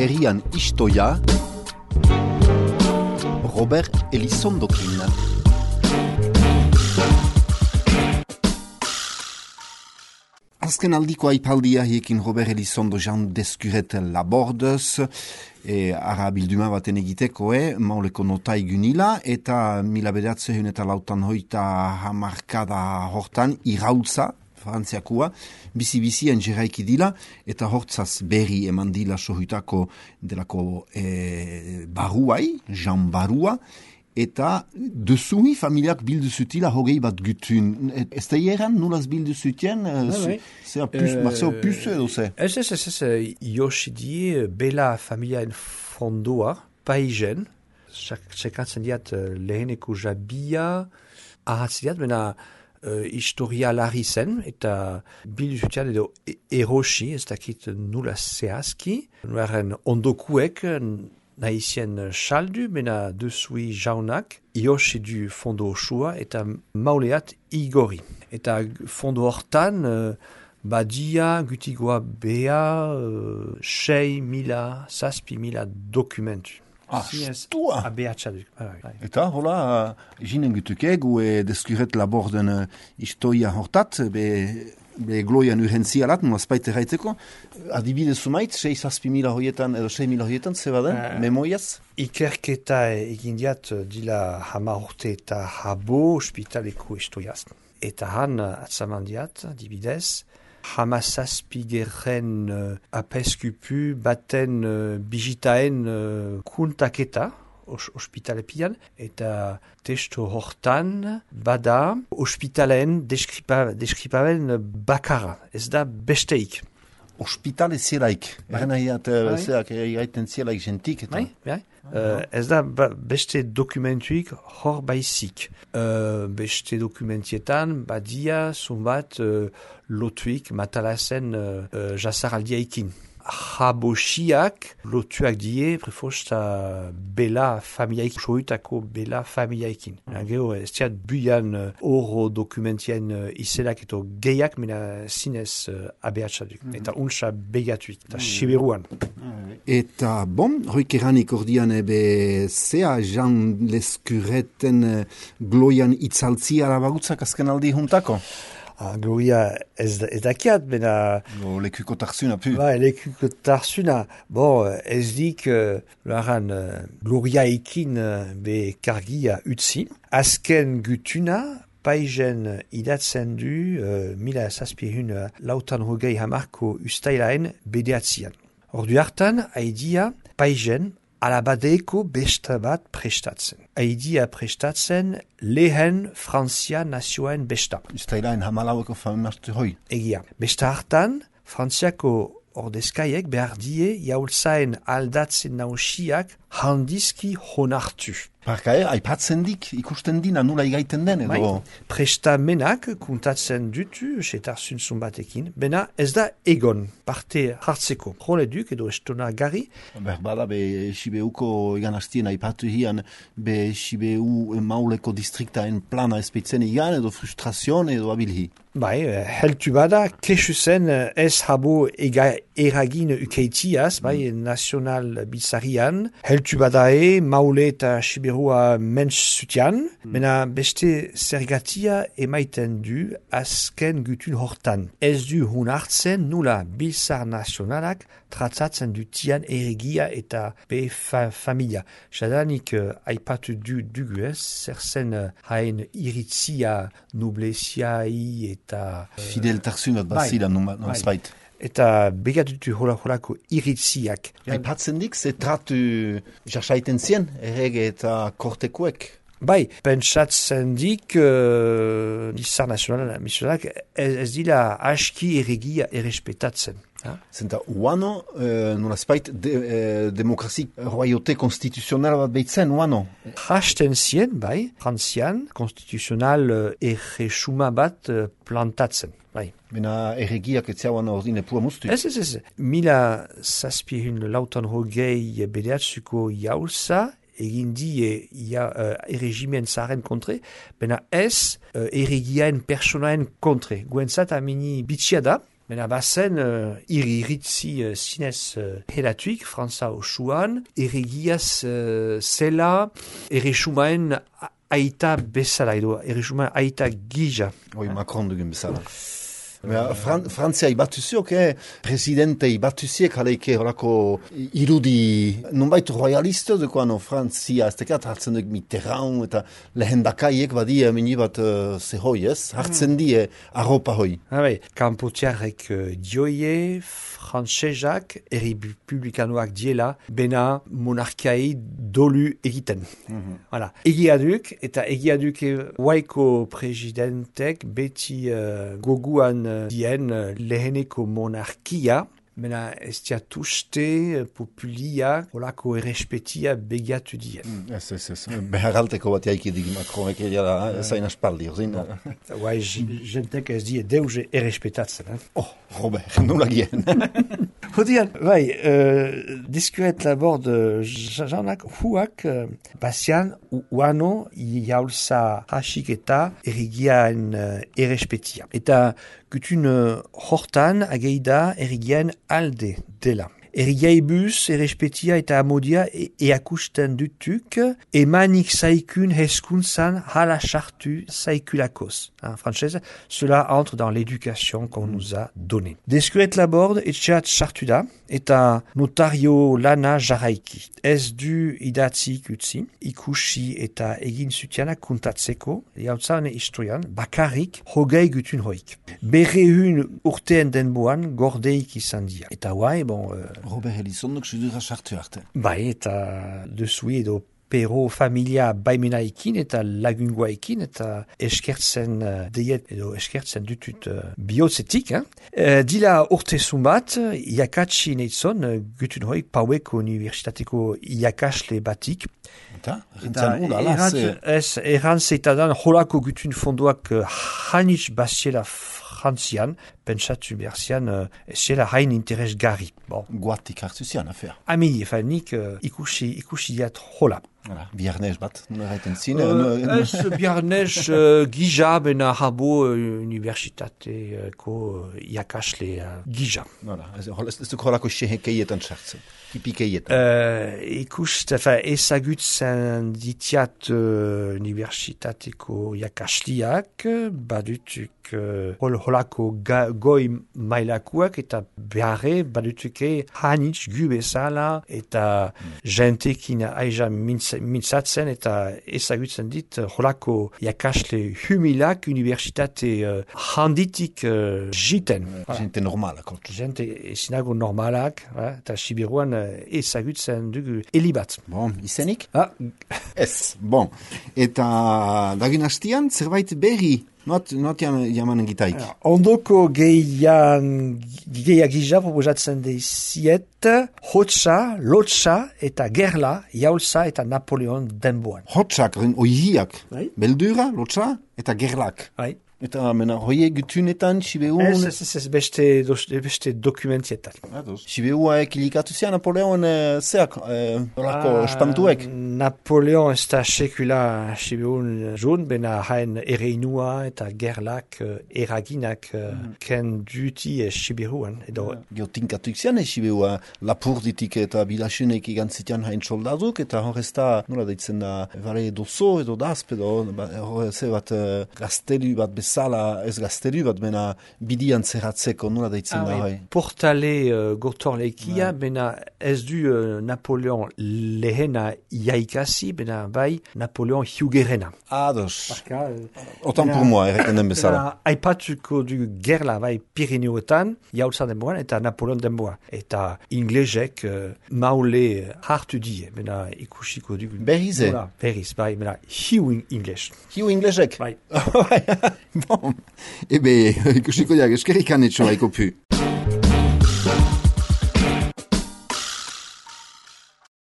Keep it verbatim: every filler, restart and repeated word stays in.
herrian istoia, Robert Elizondokin. Azken aldiko aipaldia hiekin Robert Elizondo Jean Descuret Labordez, e, ara bilduma baten egiteko, e, mauleko nota igunila, eta mila bederatzen eta lautan hoita hamarkada hortan irautza, frantziakua, bizi-bizien jeraiki dila, eta hortzaz berri eman dila sohutako delako e, baruai, Jean Barua, eta dezui familiak bildu zutila hogei bat gutun. Ez da hieran nulaz bildu zutien? Zea puze edo ze? Ez, ez, ez, ez, Yoshidi, bela familiaen fondoa, paigen, sekatzen diat leheneko jabia, ahatzen diat, bena uh, historia larri zen, eta bildu zutian edo erosi, ez dakit nula zehazki, nuaren ondokuek, naizien saldu, mena dezui jaunak, Yoshi du fondo osua, eta mauleat igori. Eta fondo hortan, uh, badia, gutigoa bea, uh, sei mila, saspi mila dokumentu. Ah, stua! Abeatxaduk. Eta, hola, jinen gutukeg, ue Descuret Laborden uh, istoia hortat, be... be gloian urgentzialat, nolazpait erraiteko, adibidez sumait, sei zazpi mila hoietan, edo sei mila hoietan, zeba den, uh, memoiaz? Ikerketa egin diat dila hama urte eta habo ospitaleko istoiaz. Eta han, atzaman diat, adibidez, hama zazpi gerren uh, apeskupu baten uh, bijitaen uh, kuntaketa, ospitalepian, eta testo hortan bada ospitalen deskriparen bakara, ez da besteik. Ospitale zielaik, baren ahiat zeak egiten zielaik jentik. Bai, bai. Uh, ez da ba, beste dokumentuik hor baizik. Uh, beste dokumentietan badia zumbat uh, lotuik matalazen uh, uh, jasaraldiaikin. Jabosiak lotuak die prefosta bela familiaik, sohutako bela familiaikin. Mm. Gero, ez diat buian oro dokumentien uh, izenak eto gehiak, mena zinez uh, abeatxaduk. Mm. Eta untsa begatuik, eta mm. siberuan. Mm. Eta, bon, hoik eranik ordian ebe zea Jean Descureten uh, gloian itzaltzi arabagutzak azken aldi juntako? Ah, Gloria ez, ez dakiat, bena... Go, lekuko tarzuna, pu. Ba, lekuko tarzuna. Bon, ez dik, uh, laran, uh, Gloria ekin uh, be kargia utzi. Azken gutuna, paigen idatzen du, uh, mila zazpirun uh, lautan hogei hamarko ustailaen bedeatzian. Ordu hartan, haidia, paigen, alabadeeko besta bat prestatzen. Haidia prestatzen lehen Frantzia nazioen besta. Ustailaen hamalaueko famartu hoi. Egia. Besta hartan, Frantziako ordezkaiek behar die jaultzaen aldatzen nausiak handizki honartu. Parka, eh, aipatzen dik, ikusten dina nula igaiten den, edo? Bai, prestamenak kuntatzen dutu, setarzun zumbatekin, bena ez da egon, parte hartzeko. Jole duk edo estona gari. Berbada, be Sibeuko egan hastien aipatu hian, be Sibeu mauleko distriktaen plana espeitzen egan, edo frustrazion, edo abilhi. Bai, heltu bada, kesu zen ez habo ega eragin ukeitiaz, bai, nazional bizarian, heltu bada e, maule eta Siberua mentz zutian, mm. mena beste zergatia emaiten du azken gutun hortan. Ez du hun hartzen nula bilzar nazionalak tratzatzen dutian erregia eta be fa familia. Jadanik uh, aipatu du dugu ez, zer zen uh, hain iritzia nobleziai eta... Uh, Fidel tarzunat bazila non spait. Eta begatutu hola-holako iritziak. Aipatzen dik, ze tratu jarsaiten zien, errege eta kortekuek? Bai, pentsatzen dik, uh, Nizar Nazionala, misionak, ez, ez dila aski erregia errespetatzen. Zenta, uano, uh, nola spait, de, uh, demokrazi royote konstituzional bat behitzen, uano? Hasten zien, bai, frantzian, konstituzional uh, erresuma bat uh, plantatzen. Bai. Bena erregiak etziauan ordine pua mustu? Ez, ez, ez. Mila zazpihun lautan hogei bedeatzuko jaulza, egin die ja, uh, erregimien zaren kontre, bena ez uh, erregiaen personaen kontre. Guentzat amini bitxia da, Mena bazen, uh, iriritzi uh, zinez uh, helatuik, Frantza osuan, erregiaz uh, zela, erresumaen aita bezala edo, erresumaen aita gija. Oi, Macron dugun bezala. Ja, Fran Frantzia ibatuziok, eh? Presidente ibatuziek aleike horako irudi nonbait royaliste dukoan no, Frantzia ez tekat hartzen duk Mitterrand eta lehendakaiek badi mini bat uh, zehoi ez, hartzen die arropa hoi. Ah, bai, kanpotiarek uh, dioie, frantsezak, errepublikanoak diela, bena monarkiai dolu egiten. Mm-hmm. Voilà. Egia duk, eta egia duk waiko presidentek beti uh, goguan uh, dien uh, leheneko monarkia, mena ez diatuste populia olako errespetia begiatu dien. Mm, ez, ez, ez. Beharalteko bat jaiki dig Macronek egiala, zain aspaldi, ozin? Guai, jentek ez die deuze errespetatzen. Eh? Oh, Robert, nola gien. Hodian, bai, uh, diskuret labord janak huak uh, basian uano jaulza hasik eta errigian uh, errespetia. Eta gutun uh, hortan ageida errigian alde dela. Errigaibus, errespetia eta amodia e eakusten dutuk, emanik saikun heskuntzan hala chartu saikulakoz. En français, cela entre dans l'éducation qu'on nous a donnée. Deskuret labord etxeat chartu da, eta notario lana jarraiki. Ez du idatzik utzi, ikusi eta egin zutiana kuntatzeko, jautzane historian, bakarrik hogei gutun hoik. Berrehun urteen denboan gordeik izan dira. Eta guai, bon... Uh, Robert Elizondok sudura sartu arte. Bai, eta dezui edo pero familia baimenaikin eta lagunguaikin eta eskertzen uh, deiet edo eskertzen dutut uh, bihotzetik. Eh? Uh, dila urte zumbat, iakatsi neitzon, uh, gutun hoik paueko universitateko iakasle batik. Eta? Rintzen hula, ala? Ez, errantzeitadan holako gutun fondoak uh, hanitz basiela frantzian, pentsatu berzian, uh, zela hain interesgarri. Bon. Guatik hartu zian, afea. Ami, efa nik uh, ikusi, ikusi diat hola. Voilà. Biarnez bat, nuna gaiten zin. Uh, ez biarnez uh, gija bena habo uh, universitateko uh, iakasle uh, gija. Voilà. Ez, ez duk holako sehekeietan sartzen. Kipikeietan. Uh, ikust, efa, ezagutzen ditiat uh, universitateko iakasliak, badutuk uh, hol, holako ga, goi mailakuak eta beharre badutuke hanitz gu bezala eta mm. jentekin aiza mintzatzen eta ezagutzen dit holako iakasle humilak universitate uh, handitik uh, jiten. Voilà. Gente normalak. Gente ezinago normalak, eh? Eta Sibiruan uh, ezagutzen dugu elibat. Bon, izenik? Ah. Ez, bon. Eta dagin hastian, zerbait berri? Not, not jamanen gitaik. Ondoko gehian, gehiak gija proposatzen deiziet, hotza, lotza eta gerla, jaulza eta Napoleon denboan. Hotzak, oihiak, bai? Beldura, lotza eta gerlak. Bai. Eta mena hoie gutunetan, Sibeun... Ez, ez, ez, beste, beste dokumentietan. Sibeua ekilikatu zian Napoleon eh, zeak, eh, orako ah, espantuek. Napoleon ez da sekula Sibeun joan, bena hain ereinua eta gerlak uh, eraginak uh, mm. ken duti e Siberuan. Edo... Gio tinkatuik zian e Sibeua lapurditik eta bilasenek igantzitian hain soldaduk, eta horrez da, nola deitzen da, vale dozo edo dazp edo, horrez bat uh, gaztelu bat bezala, ez gaztelu bat, bena bidian zerratzeko, nola deitzen ah, da, hai. Portale uh, gotorlekia, ouais. Bena ez du uh, Napoleon lehena iaikasi, bena bai Napoleon hiugerena. Ados. Parka, uh, Otan pour moi, erreken den bezala. Aipatuko du gerla bai Pirineoetan, jaulza denboan, eta Napoleon denboa. Eta inglesek uh, maule hartu die, bena ikusiko du. Berrize? Berriz, bai, bena hiu ingles. Hiu inglesek? Bai. Bon, ebe, ikusiko diak, eskerrik anetxo haiko pu.